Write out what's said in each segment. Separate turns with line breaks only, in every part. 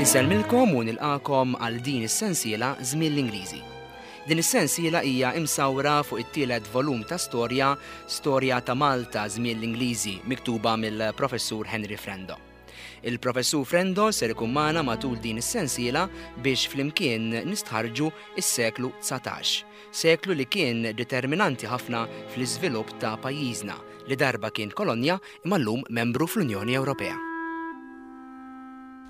Insellmilkom u nilqakom għal din is-sensiela Żmien l-Ingliżi. Din is-sensiela hija imsawra fuq it-tielet volum ta' storja Storja ta' Malta Żmien l-Ingliżi miktuba mill-Professur Henry Frendo. Il-Professur Frendo ser ikun magħna matul din is-sensiela biex flimkien nistħarrġu s-seklu 19, seklu li kien determinanti ħafna fl-iżvilupp ta' pajjiżna li darba kien kolonja imma llum membru fl-Unjoni Ewropea.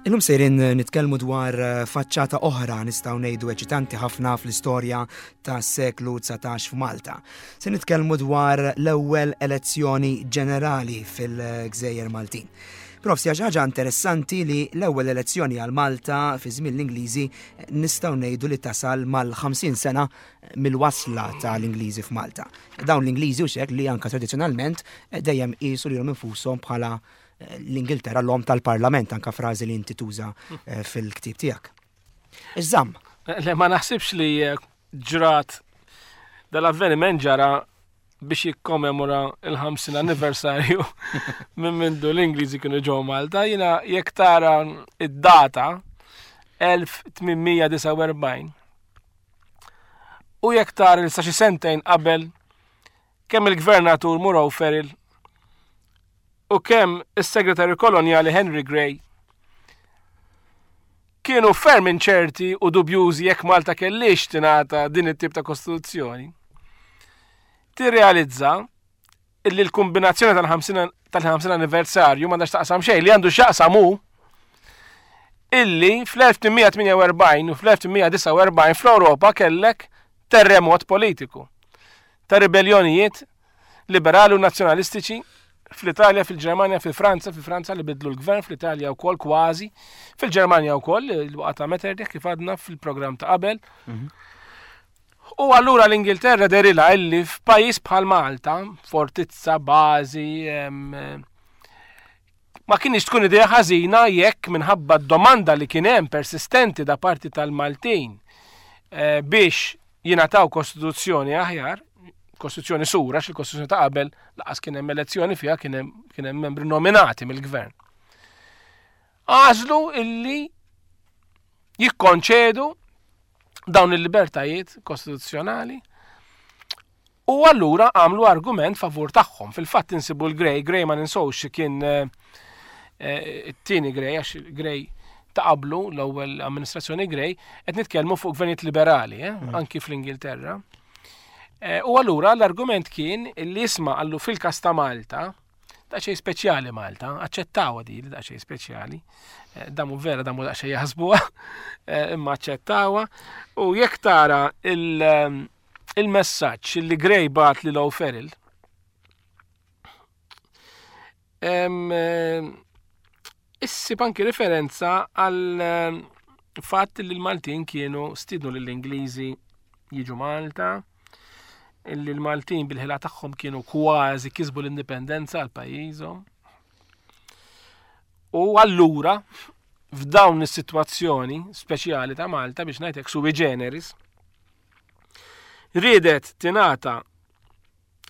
Illum sejrin nitkellmu dwar faċċata oħra nistgħu ngħidu eċitanti ħafna fl-istorja tas-seklu 19 f'Malta. Se nitkellmu dwar l-ewwel elezzjoni ġenerali fil-Gżejjer Maltin. Prof, xi ħaġa interessanti li l-ewwel elezzjoni għal Malta fi żmien l-Ingliżi nistgħu ngħidu li tasal mal-50 sena mill-wasla tal-Ingliżi f'Malta. Dawn l-Ingliżi u xek li anka tradizzjonalment dejjem qisu lilhom infushom bħala eh, l-Ingilterra l-om tal-Parlament, anka frażi li inti tuża eh, fil-ktieb tiegħek. Iżżamm.
Le ma naħsibx li eh, ġrat dal-avveniment ġara biex jikkomemora il-50 anniversarju minn mindu l-Ingliżi kienu ġew Malta. Jina jekk tara id-data 1849 u jekk tara il sa xi sentejn qabel kemm il-gvernatur Muro Feril u kemm is-segretarju kolonjali Henry Grey kienu ferm inċerti u dubjużi jekk Malta kellix tingħata din it-tip ta' kostituzzjoni. Tirrealizza illi l-kombinazzjoni tal-50 anniversarju m'għandax taqsam xejn li għandu x'jaqsam hu illi fl-1848 u fl-1849 fl-Ewropa kellek terremot politiku ta' ribellionijiet liberali u nazzjonalistiċi fl-Italja, fil-Ġermanja, fil-Franza, fil-Franza li bidlu l-gvern, fl-Italja wkoll kważi, fil-Ġermanja wkoll, il-waqgħa ta' Metternich kif għadna fil-programm ta' qabel. Mhm. U allura l-Ingilterra derilha illi f'pajjiż bħal Malta, fortizza, bażi, ma kienx tkun idea ħażina jekk minħabba d-domanda li kien hemm persistenti da parti tal-Maltin eh, biex jingħataw kostituzzjoni aħjar, kostituzzjoni sura, xil kostituzzjoni ta' qabel laqas kien hemm elezzjoni fiha kien hemm membri nominati mill-gvern. Għażlu illi jikkonċedu dawn il-libertajiet kostituzzjonali u allura għamlu argument favur tagħhom. Fil-fatt insibu l-Grey, Grey ma ninsowx kien eh, eh, it-tieni Grey għax Grey ta' qablu l-ewwel amministrazzjoni Grey, qed nitkellmu fuq gvernijiet liberali, eh, mm. anki fl-Ingilterra. U allura l-argument kien li jisma' għallu fil-kas ta' Malta, daqsxejn speċjali Malta, aċċettawha di li daqsxejn speċjali. Eh, damu vera damu daqsxejn jaħsbuha, eh, imma aċċettawha. U jekk tara eh, il-messaġġ li Gray bat li Low Ferrell, Issib anki referenza għal ehm, fatt li l-Maltin kienu stidnu lill-Ingliżi jiġu Malta, illi l-Maltin bil-ħila tagħhom kienu kważi kisbu l-indipendenza għal pajjiżhom. U allura f'dawn is-sitwazzjoni speċjali ta' Malta biex ngħidlek sui generis, riedet tingħata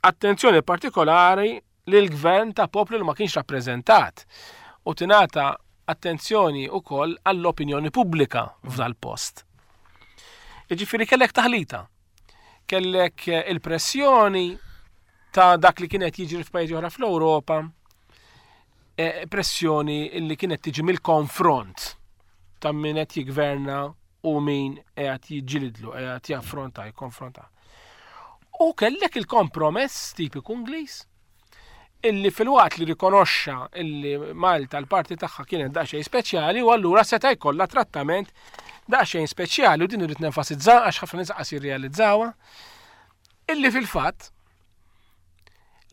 attenzjoni partikolari lill-gvern ta' poplu li ma kienx rappreżentat u tingħata attenzjoni wkoll għall-opinjoni pubblika f'dal-post. Jiġifieri kellek taħlita. Kellek eh, il-pressjoni ta' dak li kienet jiġri f'pajjiżi oħra fl-Ewropa, eh, pressjoni li kienet tiġi mill-konfront ta' min qed jigverna u min qed jiġġilidlu, qed jaffronta, jikkonfronta. U kellek il-kompromess tipiku Ingliż illi filwaqt li rikonoxxa illi Malta l-parti tagħha kienet daqsxejn speċjali u allura seta' jkollha trattament daqsxejn speċjali u din irrid nenfasizza għax ħafna nies qas jirrealizzawha illi fil-fatt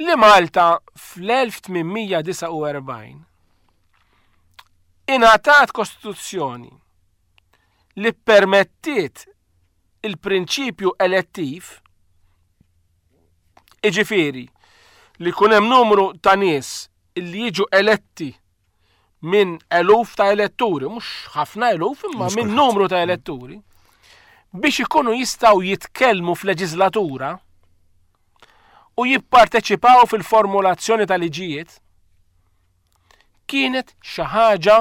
li Malta fl-1849 ingħatat kostituzzjoni li permettiet il-prinċipju elettiv, iġifieri li jkun hemm numru ta' nies li jiġu eletti minn eluf ta' eletturi, mhux ħafna eluf, imma minn numru ta' eletturi, biex ikunu jistgħu jitkellmu f'leġislatura u jipparteċipaw fil-formulazzjoni ta' liġijiet, Kienet xi ħaġa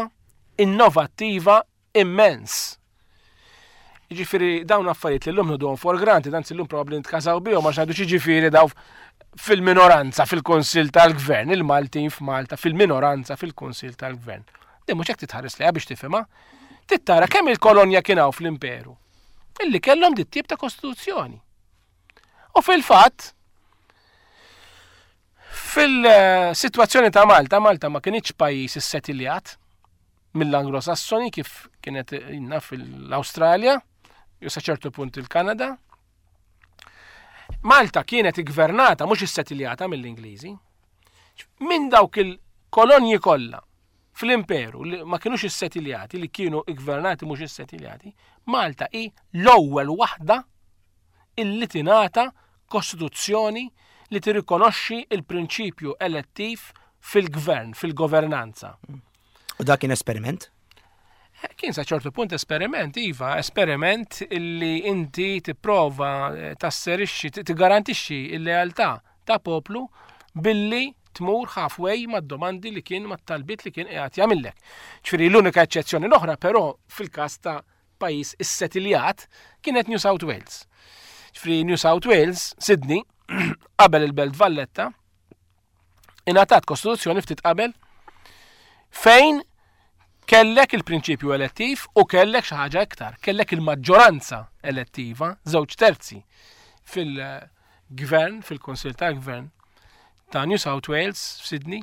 innovattiva immens. Jiġifieri dawn affarijiet li llum nħuduhom for granted, anzi llum probabbli nitkażaw bihom għax ngħidu x'jiġifieri daw fil-minoranza fil-Kunsill tal-Gvern, il-Maltin f'Malta fil-minoranza fil-Kunsill tal-Gvern. Din mhux hekk titħares lejha biex tifhimha. Tittara kemm il-kolonja kien hawn fl-imperu illi kellhom dit tip ta' kostituzzjoni. U fil-fatt, fil-sitwazzjoni ta' Malta, Malta ma kienx pajjiż issetiljat mill-Anglo-Sassoni kif kienet inna fil-Awstralja, jew sa ċertu punt il-Kanada. Malta kienet iggvernata mhux issetiljata mill-Ingliżi. Minn dawk il-kolonji kollha fl-imperu li ma kienux issetiljati, li kienu iggvernati mhux issetiljati, Malta hi l-ewwel waħda illi tingħata kostituzzjoni li tirrikonoxxi il-prinċipju elettiv fil-gvern, fil-governanza.
U dak kien esperiment?
Eh, kien sa ċertu punt esperiment, iva, esperiment illi inti tipprova eh, tasserixxi, tigarantixxi il-lealtà ta' poplu billi tmur halfway mad-domandi li kien mat-talbiet li kien qiegħed jagħmillek. Ġifieri l-unika eċċezzjoni l-oħra però fil-każ ta' pajjiż issetiljat kienet New South Wales. Ġifieri New South Wales, Sydney, qabel il-Belt Valletta, ingħatat kostituzzjoni ftit qabel fejn kellek il-prinċipju elettiv u kellek xi ħaġa iktar, kellek il-maġġoranza elettiva, żewġ terzi fil-gvern, fil-Kunsill tal-Gvern ta' New South Wales f'Sydney,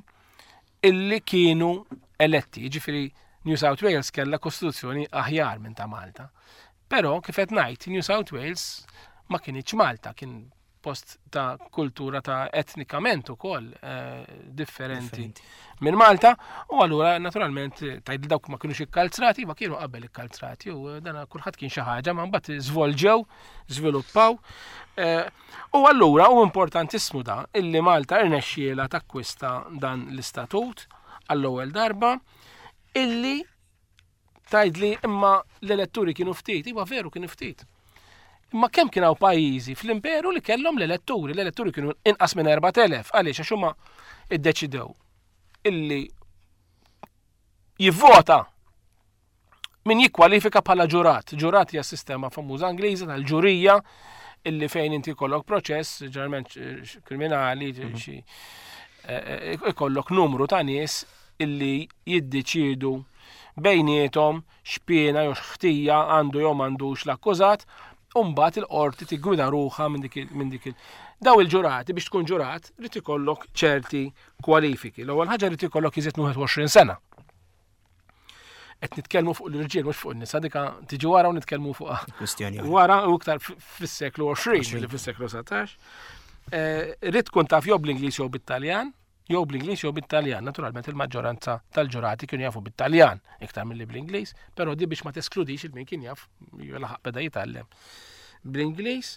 illi kienu eletti, ġifieri New South Wales kellha kostituzzjoni aħjar minn ta' Malta. Però kif qed ngħid, New South Wales ma kienx Malta, kien post ta' kultura ta' etnikament ukoll eh, differenti minn Malta u allura naturalment tgħid dawk ma kienux ikkalzrati ma kienu qabel ikkalzrati u eh, dan kulħadd kien xi ħaġa ma mbagħad żvolġew, żviluppaw. Eh, u allura u importantissimu da illi Malta irnexxiela takkwista dan l-istatut għall-ewwel darba illi Tgħidli imma l-eletturi kienu ftit, iva veru kienu ftit. Imma kemm kien hawn pajjiżi fl-imperu li kellhom l-eletturi, l-eletturi kienu inqas minn 4000, għaliex għax huma iddeċidew illi jivvota min jikkwalifika bħala ġurat. Ġurat hija sistema famuża Ingliża tal-ġurija illi fejn inti jkollok proċess, ġeneralment kriminali, mhm. xi eh, eh, ikollok numru ta' nies illi jiddeċiedu bejniethom x'piena jew x'ħtija għandu jew m'għandux l-akkużat, u mbagħad il-qorti tiggwida ruħha minn dik minn dik Daw il-ġurati biex tkun ġurat rid ikollok ċerti kwalifiki. L-ewwel ħaġa rid ikollok iżjed 21 sena. Qed nitkellmu fuq l-irġiel mhux fuq in-nisa dika tiġi wara u nitkellmu fuq
Kwistjoni.
Wara u iktar fis-seklu 20 li fis-seklu 19. Eh, rid tkun taf jew bl-Ingliż jew bit-Taljan, jew bl-Ingliż jew bit-Taljan. Naturalment il-maġġoranza tal-ġurati kienu jafu bit-Taljan iktar milli bl-Ingliż, però di biex ma teskludix il min kien jaf laħaq beda jitgħallem bl-Ingliż.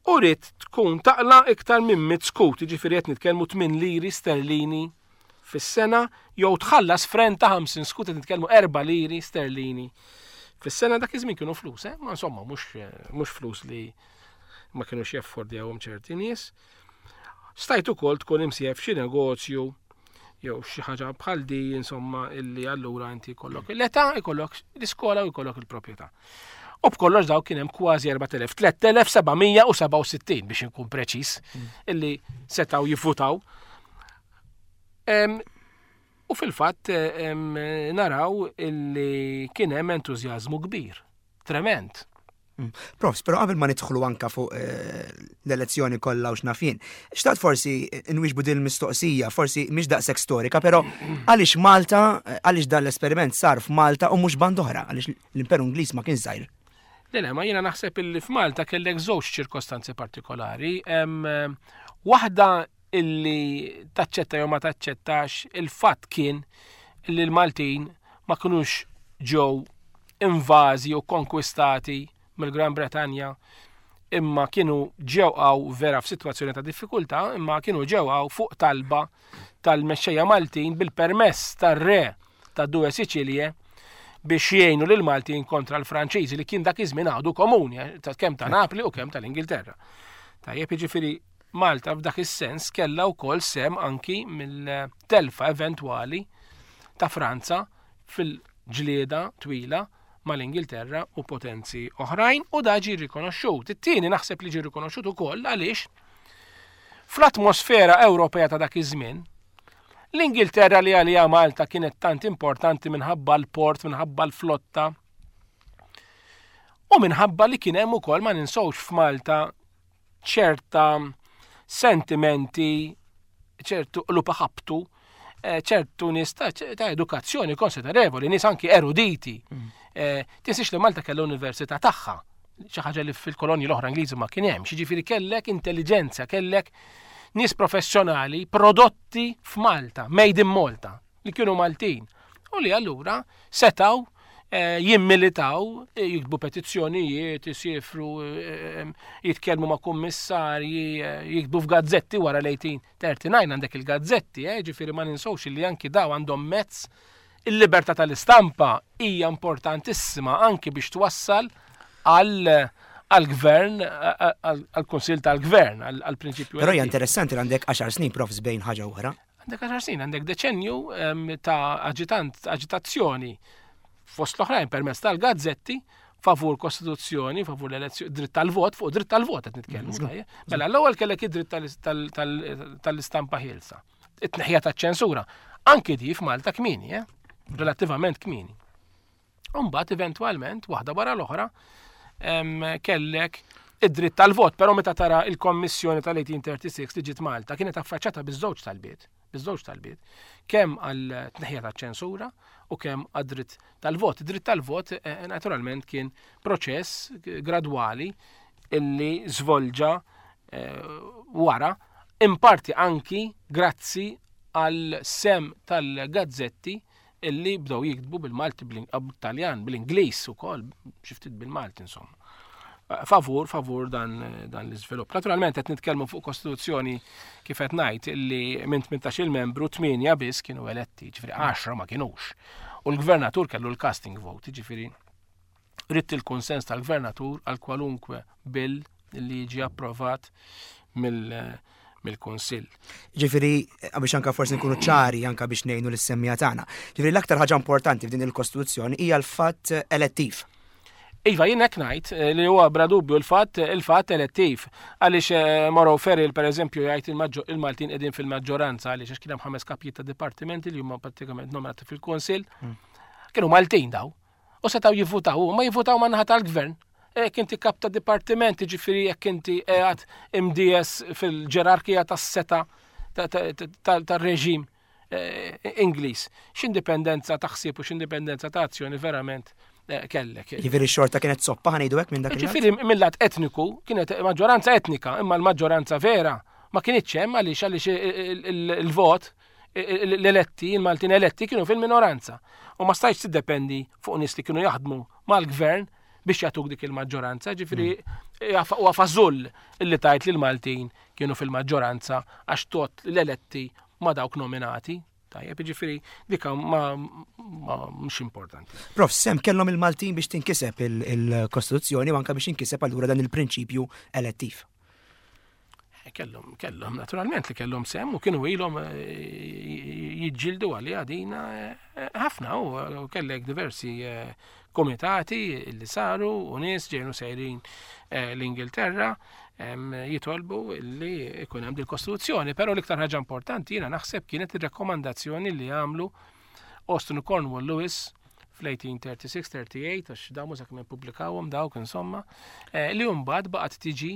U rrid tkun taqla iktar minn mit skut, jiġifieri qed nitkellmu 8 liri sterlini fis-sena jew tħallas fren ta' 50 skut qed nitkellmu 4 liri sterlini fis-sena dak iż-żmien kienu flus, eh? Ma insomma mhux flus li ma kinux jaffordjawhom ċerti nies. Stajt ukoll tkun imsieħeb f'xi negozju jew xi ħaġa bħal di insomma illi allura inti jkollok l-età, jkollok l-iskola u jkollok il-proprjetà. U b'kollox daw kien hemm kważi 4000, 3767 biex inkun preċiż mm. illi setgħu jivvutaw. U fil-fatt naraw illi kien hemm entużjażmu kbir, trement.
Mm. Profs, pero qabel ma nidħlu anka fuq eh, l-elezzjoni kollha u x'nafin, xtaqt forsi nwieġbu din il-mistoqsija, forsi mhix daqshekk storika, però għaliex Malta, eh, għaliex dan l-esperiment sar f'Malta u mhux band oħra, għaliex l-Imperu Ingliż ma kien żgħir.
Le, le, ma jiena naħseb illi f'Malta kellek żewġ ċirkostanzi partikolari. Eh, waħda illi taċċetta jew ma taċċettax il-fatt kien li l-Maltin ma kinux ġew invażi u konkwistati mill-Gran Bretanja imma kienu ġew għaw vera f'sitwazzjoni ta' diffikultà, imma kienu ġew għaw fuq talba tal-mexxejja Maltin bil-permess tar-re ta' Due Sicilie biex jgħinu lil Maltin kontra l-Franċiżi li kien dak iż-żmien għadu komuni eh, kemm ta' Napli u kemm tal-Ingilterra. Tajjeb jiġifieri Malta f'dak is-sens kellha wkoll sehem anki mill-telfa eventwali. ta' Franza fil-ġlieda twila mal-Ingilterra u potenzi oħrajn u da ġie rikonoxxut. It-tieni naħseb li ġie rikonoxxut ukoll għaliex fl-atmosfera Ewropea ta' dak iż-żmien l-Ingilterra li għaliha Malta kienet tant importanti minħabba l-port, minħabba l-flotta, u minħabba li kien hemm ukoll ma ninsewx f'Malta ċerta sentimenti, ċertu qlub ħabtu, eh, ċertu nies ta' edukazzjoni konsiderevoli, nies anki eruditi. Eh, tinsiex li Malta kellha università tagħha, xi ħaġa li fil-kolonji l-oħra Ingliżi ma kien hemm, jiġifieri kellek intelligenza, kellek nies professjonali prodotti f'Malta, made in Malta, li kienu Maltin u li allura setaw eh, jimmilitaw, eh, jiktbu petizzjonijiet, jisifru, eh, jitkellmu ma' kummissarji, jiktbu f'gazzetti wara l-1839 għandek il-gazzetti, ġifieri ma ninsewx li anki daw għandhom mezz il-libertà tal-istampa hija importantissima anki biex twassal għal għal-gvern, għal-konsil tal-gvern, għal-prinċipju.
Però hija interessanti li għandek 10 snin profs bejn ħaġa oħra.
Għandek 10 snin, għandek deċenju ta' aġitant, aġitazzjoni fost l-oħrajn permezz tal-gazzetti favur kostituzzjoni, favur l-elezzjoni, dritt tal-vot, fuq dritt tal-vot qed nitkellmu. Mm, mela l-ewwel kellek id-dritt tal-istampa ħielsa. It-tneħħija taċ-ċensura. Anki di f'Malta kmieni, eh? relattivament kmieni. Umbagħad eventwalment waħda wara l-oħra kellek id-dritt tal-vot, però meta tara il-Kommissjoni tal-1836 li ġiet Malta kienet affaċċata biż-żewġ talbiet, biż-żewġ talbiet, kemm għal tneħħija taċ-ċensura u kemm għad-dritt tal-vot. Id-dritt tal-vot eh, naturalment kien proċess gradwali illi żvolġa eh, wara, in parti anki grazzi għal sem tal-gazzetti illi bdew jiktbu bil-Malti, bil-Taljan, bil-Ingliż ukoll, xi ftit bil-Malti insomma. Eh, favur, favur dan, dan l-iżvilupp. Naturalment qed nitkellmu fuq kostituzzjoni kif qed ngħid illi minn 18 il-membru 8 biss kienu eletti, ġifieri 10 ma kinux. U l-gvernatur kellu l-casting vote, ġifieri ridt il-kunsens tal-gvernatur għal kwalunkwe bill li jiġi approvat mill-Kunsill.
Ġifieri, biex anka forsi nkunu ċari anka biex ngħinu lis-semmija tagħna. Ġifieri l-aktar ħaġa importanti f'din il-Kostituzzjoni hija l-fatt elettiv.
Iva, jien hekk ngħid eh, li huwa bla dubju l-fatt il-fatt elettiv. Għaliex eh, Moro Ferril pereżempju jgħid il-Maltin qegħdin fil-maġġoranza għaliex għax kien hemm ħames kapijiet ta' dipartimenti li huma pratikament nominati fil-Kunsill. Hmm. Kienu Maltin daw. U setgħu jivvutaw, u ma jivvutaw ma' naħa tal-gvern. Jekk inti kap ta' dipartiment, ġifieri jekk inti qiegħed imdies fil-ġerarkija tas-seta tar-reġim eh, Ingliż, x'indipendenza ta' ħsieb u x'indipendenza ta' azzjoni verament eh, kellek.
Ġifieri xorta kienet soppa ħanejdu hekk minn dak.
Ġifieri mill-lat etniku kienet maġġoranza etnika, imma l-maġġoranza vera ma kienitx hemm għaliex għaliex il-vot l-eletti, il-Maltin eletti kienu fil-minoranza. U ma stajtx tiddependi fuq nies li kienu jaħdmu mal-gvern biex jagħtuk dik il-maġġoranza, ġifieri mm. huwa fażull illi tajt li l-Maltin kienu fil-maġġoranza għax tot l-eletti ma dawk nominati. Tajjeb, ġifieri dika ma mhux importanti.
Prof, sem kellhom il-Maltin biex tinkiseb il-Kostituzzjoni u anke biex inkiseb allura dan il-prinċipju elettiv.
Eh, kellhom, kellhom, naturalment li kellhom sem u kienu ilhom eh, jiġġieldu għalija dina eh, ħafna u kellek diversi komitati li saru u nies ġejnu sejrin l-Ingilterra jitolbu li ikun hemm dil-Kostituzzjoni, però l-iktar ħaġa importanti jiena naħseb kienet ir-rakkomandazzjoni li għamlu Austin Cornwall Lewis fl-1836-38, għax damu sa' kemm ippubblikawhom dawk insomma, li mbagħad baqgħet tiġi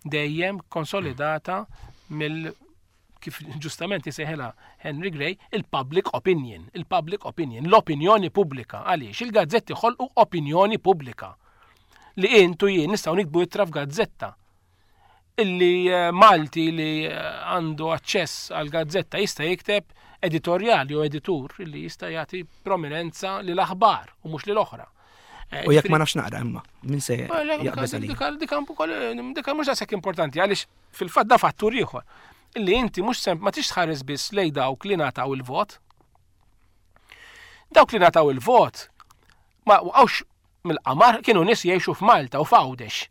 dejjem konsolidata mill kif ġustament jisejħilha Henry Gray, il-public opinion, il-public opinion, l-opinjoni pubblika. Għaliex il-gazzetti ħolqu opinjoni pubblika li intu jien nistgħu nikbu ittra f'gazzetta illi eh, Malti li eh, għandu aċċess għal gazzetta jista' jikteb editorjali u editur li jista' jagħti prominenza lil aħbar u mhux lil oħra.
Eh, u jekk ma nafx naqra imma, min se jaqbeż
għalija. Dika dika mhux daqshekk importanti għaliex fil-fatt da fattur ieħor illi inti mhux sem ma tix tħares biss lej dawk li ngħataw il-vot. Dawk li ngħataw il-vot ma waqgħux mill-qamar kienu nies jgħixu f'Malta u f'Għawdex.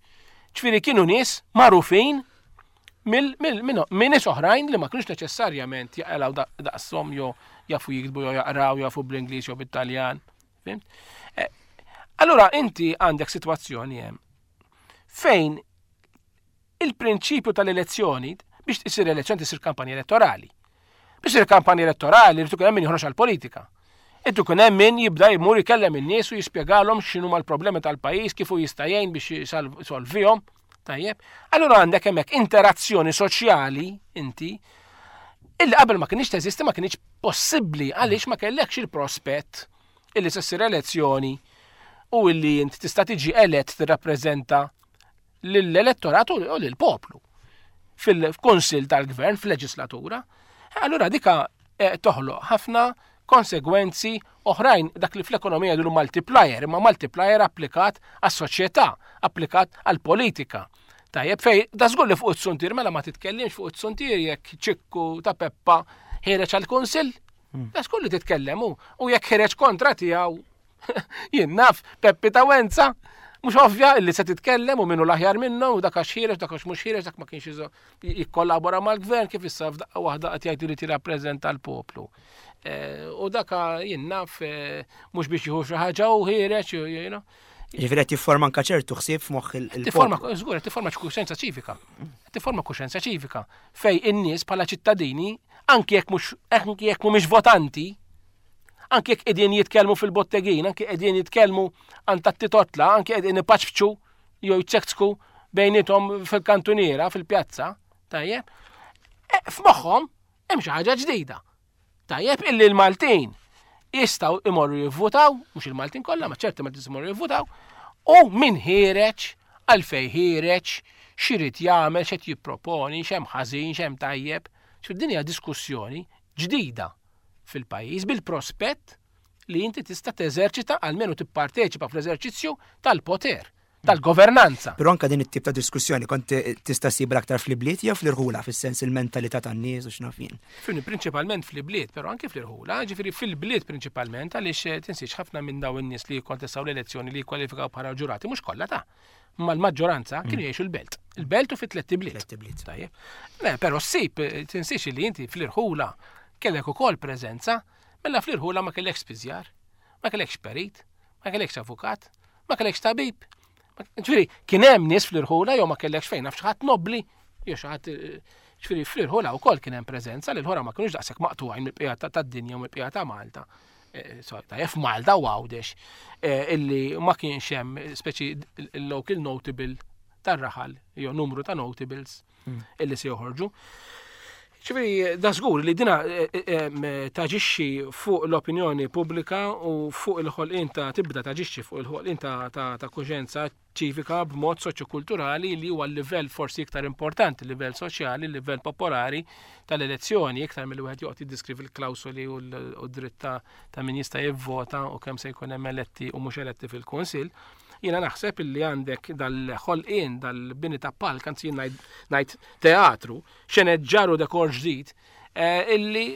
Ġifieri kienu nies magħrufin minn nies oħrajn li ma kienux neċessarjament jaqalgħu daqshom jew jafu jiktbu jew jaqraw, jafu bl-Ingliż jew bit-Taljan. Fimt? Eh, allura inti għandek sitwazzjoni hemm fejn il-prinċipju tal-elezzjoni biex tisir elezzjoni tisir kampanja elettorali. Biex isir kampanja elettorali rridu hemm min joħroġ għall-politika. Irrid ikun hemm min jibda jmur ikellem in-nies u jispjegalhom x'inhuma l-problemi tal-pajjiż kif hu jista' jgħin biex jisolvihom. Tajjeb. Allura għandek hemmhekk interazzjoni soċjali inti illi qabel ma kienx teżisti ma kienx possibbli għaliex ma kellekx il-prospett illi se ssir elezzjoni u illi int tista' tiġi elett tirrappreżenta lill-elettorat u lill-poplu fil-Kunsill tal-Gvern, fil-leġislatura. Allura dika eh, toħloq ħafna konsegwenzi oħrajn dak li fl-ekonomija jgħidu multiplier, imma multiplier applikat għas-soċjetà, applikat għall-politika. Tajjeb, fej, da żgur li fuq it-suntier, mela ma titkellimx fuq it-suntier jekk ċikku ta' Peppa ħireġ għall-kunsill. Hmm. Da żgur li titkellem u jekk ħireġ kontra tiegħu Jien naf, Peppi ta' Wenza, mhux ovvja illi se titkellem u minnu l-aħjar minnu u dak għax ħireġ, dak għax mhux ħireġ, dak ma kienx jikkollabora mal-gvern kif issa f'daqqa waħda qed jgħid irid jirrappreżenta l-poplu. Eh, u dak jien naf eh, mhux biex jieħu xi ħaġa u ħireġ, you know.
Ġifieri qed jifforma anke ċertu ħsieb f'moħħ il
Tifforma, żgur, qed tifforma kuxjenza ċivika. Tifforma kuxjenza ċivika fej in-nies bħala ċittadini anke jekk mhux anke jekk mhumiex votanti, Anki jekk qegħdin jitkellmu fil-bottegin, anki qegħdin jitkellmu għand tat-titotla, anki qegħdin ipaċċu jew jċekċku bejnietom fil-kantuniera, fil-pjazza, tajjeb, e, f'moħħhom hemm xi ħaġa ġdida. Tajjeb illi l-Maltin jistgħu imorru jivvutaw, mhux il-Maltin kollha, ma ċerti Maltin imorru jivvutaw, u min ħiereġ, għalfej ħiereġ, x'irid jagħmel, x'qed jipproponi, x'hemm ħażin, x'hemm tajjeb. Xi din hija diskussjoni ġdida fil-pajjiż bil-prospett li inti tista' teżerċita almenu tipparteċipa fl-eżerċizzju tal-poter tal-governanza.
Però anka din it-tip ta' diskussjoni kont tista' ssib aktar fl-ibliet jew fl-irħula fis-sens il-mentalità tan-nies u x'naf jien.
Fini prinċipalment fl-ibliet, però anke fl-irħula, ġifieri fil-bliet prinċipalment għaliex eh, tinsiex ħafna minn dawn in-nies li jikkontestaw l-elezzjoni li jikkwalifikaw bħala ġurati mhux kollha ta' ma l-maġġoranza kienu mm. jgħixu l-belt. Il-belt u fit-tlet ibliet.
Tliet
Tajjeb. Però ssib eh, tinsiex li inti fl-irħula kellek ukoll preżenza, mela fl-irħula ma kellekx spiżjar, ma kellekx perit, ma kellekx avukat, ma kellekx tabib. Ġifieri, kien hemm nies fl-irħula jew ma kellekx fejn naf xi ħadd nobbli, jew xi ħadd eh, ġifieri fl-irħula wkoll kien hemm preżenza li l-ħora ma kinux daqshekk maqtugħin mill-bqija tad-dinja u mill-bqija ta' Malta. Eh, tajjeb f'Malta u Għawdex eh, illi ma kienx hemm speċi il-local notable tar-raħal jew numru ta' notables hmm. illi se joħorġu. Ċifri, da żgur li dina eh, taġixxi fuq l-opinjoni pubblika u fuq il-ħolqien ta' tibda taġixxi fuq il-ħolqien ta' kuxjenza ċivika b'mod soċjokulturali li huwa l-livell forsi iktar importanti, livell soċjali, livell popolari tal-elezzjoni, iktar milli wieħed joqgħod jiddiskrivi l-klawsoli u d-dritt ta' min jista' jivvota u kemm se jkun hemm eletti u mhux eletti fil-kunsill. Jiena naħseb illi għandek dal-ħolqien, dal-bini ta' palk, anzi jien ngħid teatru, xeneġġar u dekor ġdid, eh, illi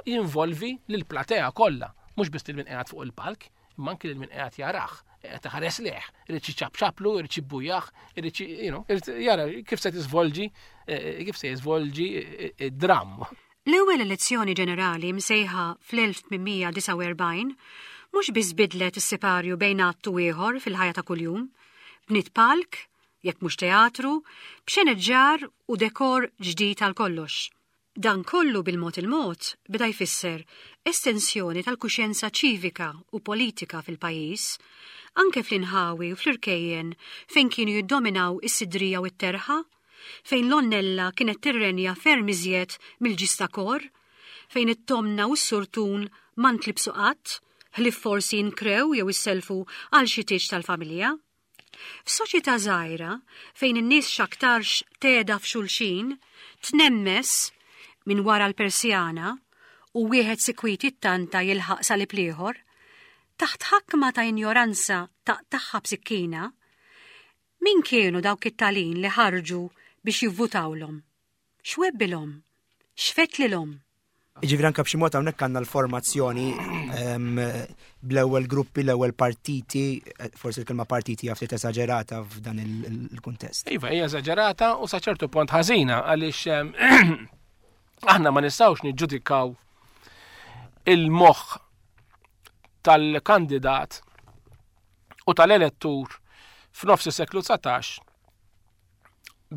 jinvolvi lill-platea kollha, mhux biss lil min qiegħed fuq il-palk, imma anki lil min qiegħed jarah, qiegħed iħares lejh, irid jiċapċaplu, irid jibbujah, irid you know, irid jara kif se tiżvolġi, eh, kif se jiżvolġi eh, eh, id-dramm.
L-ewwel elezzjoni ġenerali msejħa fl-1849 mhux biss bidlet is-siparju bejn att u ieħor fil-ħajja ta' kuljum, bniet palk, jekk mhux teatru, b'xeneġġar u dekor ġdid għal kollox. Dan kollu bil-mod il-mod beda jfisser estensjoni tal-kuxjenza ċivika u politika fil-pajjiż, anke fl-inħawi u fl-irkejjen fejn kienu jiddominaw is-sidrija u t-terħa, fejn l-għonnella kienet tirrenja ferm iżjed mill-ġistakor, fejn it-tomna u s-surtun ma ntlibsu qatt, ħlief forsi jinkrew jew issellfu għal xi tieġ tal-familja. F'soċjetà żgħira, fejn in-nies x'aktarx tgħeda f'xulxin, tnemmes minn wara l-persjana u wieħed sikwit jittanta jilħaq salib l-ieħor, taħt ħakma ta' injoranza taqtagħha b'sikkina, min kienu dawk it-talin li ħarġu biex jivvutawlhom? X'webbilhom? X'fettlilhom?
Ġifieri anke b'xi mod hawnhekk għandna l-formazzjoni ehm, bl-ewwel gruppi, l-ewwel partiti, eh, forsi l-kelma partiti hija ftit esaġerata f'dan il-kuntest.
Iva, hija esaġerata u sa ċertu punt ħażina għaliex ehm, aħna ma nistgħux niġġudikaw. il-moħħ tal-kandidat u tal-elettur f'nofs is-seklu 19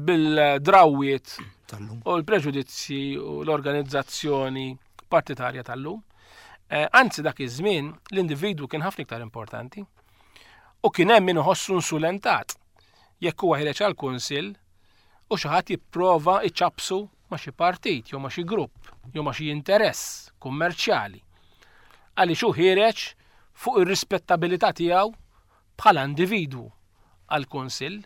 bil-drawwiet u l-preġudizzji u l-organizzazzjoni partitarja tal-lum. Eh, anzi dak iż-żmien l-individwu kien ħafna iktar importanti u kien hemm min iħossu insulentat jekk huwa ħireġ għall-kunsill u xi ħadd jipprova iċapsu ma' xi partit jew ma' xi grupp jew ma' xi interess kummerċjali. Għaliex hu ħiereġ fuq ir-rispettabilità tiegħu bħala individwu għall-kunsill.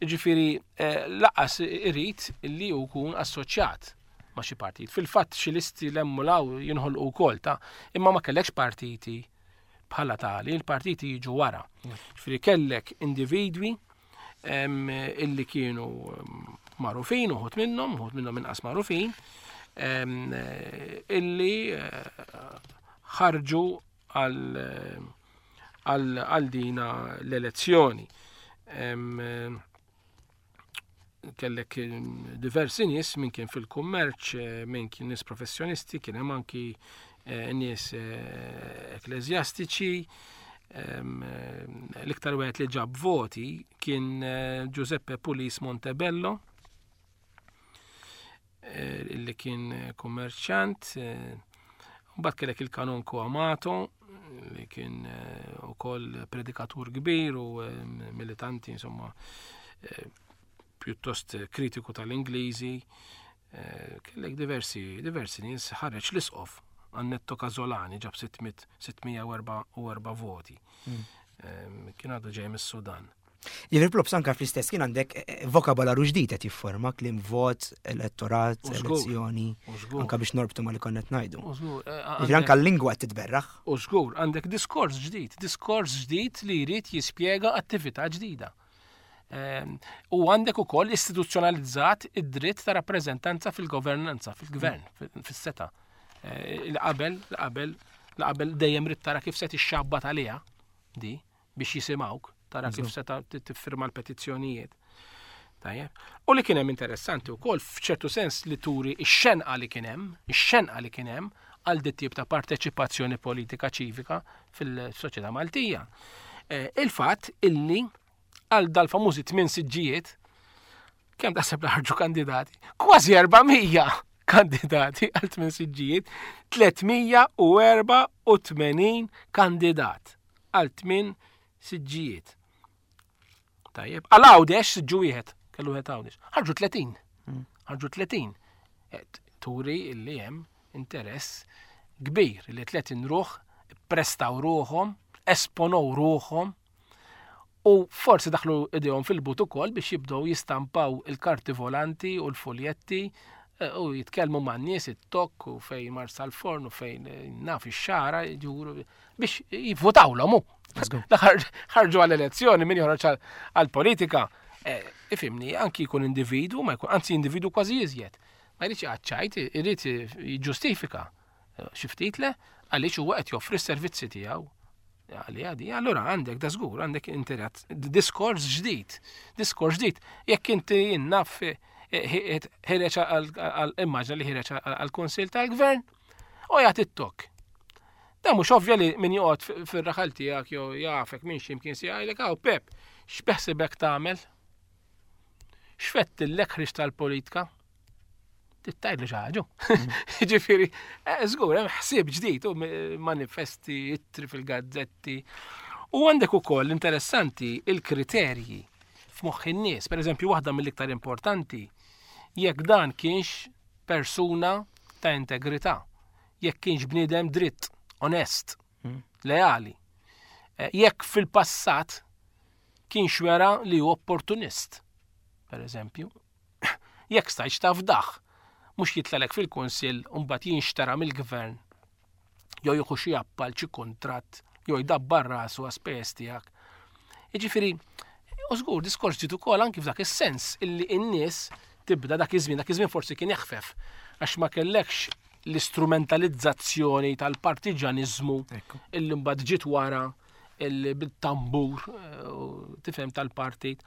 Ġifieri eh, laqas irid li hu jkun assoċjat ma' xi partit. Fil-fatt xi listi l-emmulaw jinħolqu wkoll ta' imma ma kellekx partiti bħala tali, il-partiti jiġu wara. Ġifieri kellek individwi illi kienu magħrufin, uħud minnhom, uħud minnhom inqas magħrufin, illi eh, ħarġu għal dina l-elezzjoni. Kellek diversi nies min kien fil-kummerċ, eh, min kien nies professjonisti, kien hemm anki eh, nies eh, ekklesjastiċi. L-iktar wieħed li ġab voti kien Giuseppe Pulis Montebello, li kien kummerċant. Mbagħad kellek il-kanonku Amato li kien ukoll predikatur kbir u militanti insomma pjuttost kritiku tal-Ingliżi. Kellek diversi diversi nies ħareġ l-isqof Annetto Casolani ġab 644 voti. Hmm. Kien għadu ġej mis-Sudan.
Jiġifieri props anka fl-istess kien għandek eh, eh, vokabolaru ġdid qed jifforma kliem vot, elettorat, elezzjoni, anka biex norbtu ma li konna qed ngħidu. Eh, jiġifieri anka l-lingwa qed titberraħ.
U żgur, għandek diskors ġdid, diskors ġdid li jrid jispjega attività ġdida. Ehm, u għandek ukoll istituzzjonalizzat id-dritt ta' rappreżentanza fil-governanza, fil-gvern, fis-seta. L-qabel, l-qabel, l-qabel dejjem rid tara kif se tixxabbat għaliha di biex jisimgħuk, tara kif se tiffirma l-petizzjonijiet. Tajjeb. U li kien hemm interessanti wkoll f'ċertu sens li turi x-xenqa li kien hemm, ix-xenqa li kien hemm għal dit tip ta' parteċipazzjoni politika ċivika fil-soċjetà Maltija. Eh, il-fatt illi għal dal-famużi tmien siġġijiet kemm taħseb li ħarġu kandidati? Kważi 400 kandidati għal tmien siġġijiet, 384 kandidat. għal tmien siġġijiet. Tajjeb, għal Għawdex siġġu wieħed, kellu wieħed Għawdex. Ħarġu 30. Hmm. Ħarġu 30. Turi illi hemm interess kbir li 30 ruħ prestaw ruħhom, esponow ruħhom u forsi daħlu idejhom fil-but ukoll biex jibdew jistampaw il-karti volanti u l-fuljetti eh, u jitkellmu man nies it-tokk u fejn marsa l-forn u fejn eh, naf ix-xara ġuru biex jivvotawlhom hu. Ħarġu għall-elezzjoni min joħroġ għall-politika. Eh, ifimni, anki jkun individu, ma jkun, anzi individu kważi iżjed. Ma jridx jgħadċajt, irid jiġġustifika. Eh, xi ftit le, għaliex huwa qed joffri s-servizzi tiegħu. Għalli għadi, allura għandek da żgur, għandek interess, diskors ġdid, diskors ġdid. Jekk inti jinnaf eh, ħireċ għal immaġna li ħireċ għal-Konsil tal-Gvern, u jagħti t-tok. Da mhux ovvja li min joqgħod fir-raħal tiegħek jew jafek minn x'imkien se jgħidlek hawn Pep, x'beħsibek tagħmel? X'fettillek ħriġ tal-politika? Tittajlu xi ħaġa. Ġifieri, eh, żgur hemm ħsieb ġdid u manifesti, ittri fil-gazzetti. U għandek ukoll interessanti il-kriterji f'moħħ in-nies. Per eżempju, waħda mill-iktar importanti, jekk dan kienx persuna ta' integrità jekk kienx bniedem dritt, onest, hmm. leali. Eh, jekk fil-passat kienx wera li hu opportunist, per eżempju, jekk stajtx tafdaħ, mhux jitlalek fil-kunsill u mbagħad jinxtara mill-gvern jew jieħu xi appal xi kuntratt jew jdabbar rasu għas-spejjeż tiegħek. Jiġifieri, u żgur diskors ġiet ukoll anki f'dak is-sens illi n-nies tibda dak iż-żmien, dak iż-żmien forsi kien eħfef għax ma kellekx l-istrumentalizzazzjoni tal-partiġaniżmu illi mbagħad ġiet wara bil-tambur eh, tifhem tal-partit.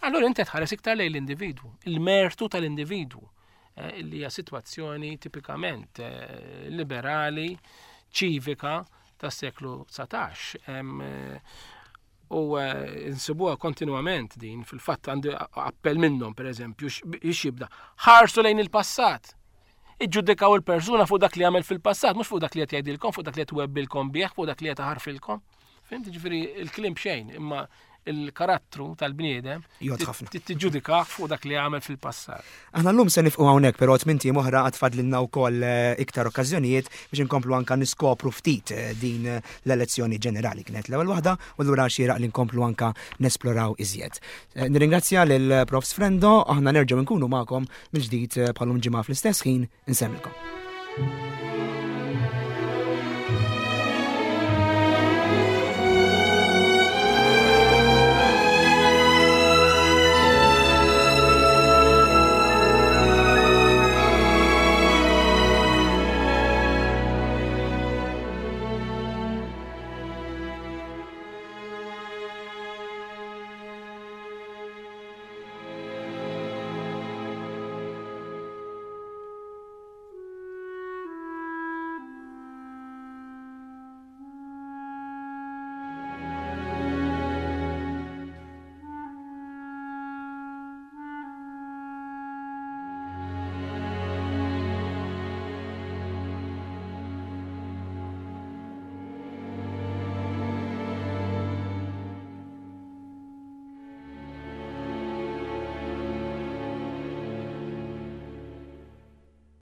Allura inti tħares iktar lejn l-individwu, il-mertu tal-individwu. eh, li hija sitwazzjoni tipikament eh, liberali, ċivika tas-seklu 19. Eh, u nsibuha kontinwament din, fil-fatt għandi appell minnhom, per eżempju, jibda ħarsu lejn il-passat. Iġġudikaw il-persuna fuq dak li għamel fil-passat, mhux fuq dak li qed jgħidilkom, fuq dak li qed webbilkom bih, fuq dak li qed ħarfilkom. Fhimt ġifieri il-kliem xejn, imma il-karattru tal-bniedem tiġġudika fuq dak li għamel fil-passat.
Aħna llum se nifqu hawnhekk però tmint ijiem oħra għad fadlilna wkoll eh, iktar okkażjonijiet biex inkomplu anka niskopru ftit eh, din eh, l-elezzjoni ġenerali kienet l-ewwel waħda u lura xieraq li nkomplu anka nesploraw iżjed. Nirringrazzja lil Prof. Frendo, aħna nerġgħu nkunu magħkom mill-ġdid bħalum ġimgħa fl-istess ħin insemmilkom.